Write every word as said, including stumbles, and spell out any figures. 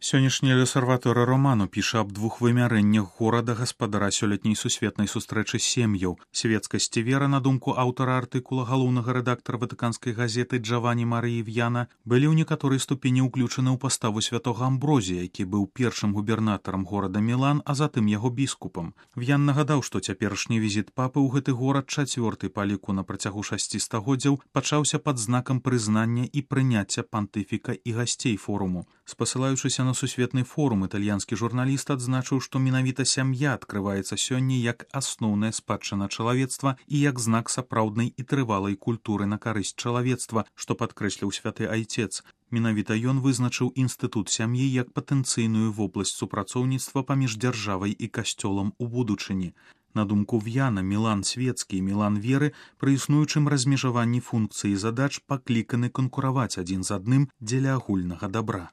Сённяшні лесарваторы роману піша аб двух вымярэннях горада гаспадара сёлетняй сусветнай сустрэчы сем'яў. Свецкасць і вера, на думку аўтара артыкула, галоўнага рэдактара ватыканскай газеты Джавані Марыі В'яна, былі ў некаторай ступені ўключаны ў паставу святога Амброзія, які быў першым губернатарам горада Мілан, а затым яго біскупам. В'ян нагадаў, што цяперашні візіт папы ў гэты горад, чацвёрты па ліку на працягу шасці стагоддзяў, пачаўся пад знакам прызнання і прыняцця пантыфіка і гасцей форуму. Спасылаючыся на сусветны форум, італьянскі журналіст адзначыў, што менавіта сям'я адкрываецца сёння як асноўная спадчына чалавецтва і як знак сапраўднай і трывалай культуры на карысць чалавецтва, што падкрэсліў святы айцец. Менавіта ён вызначыў інстытут сям'і як патэнцыйную вобласць супрацоўніцтва паміж дзяржавай і касцёлам у будучыні. На думку В'яна, Мілан свецкі і Мілан веры пры існуючым размежаванні функцый і задач пакліканы канкураваць адзін з адным дзеля агульнага дабра.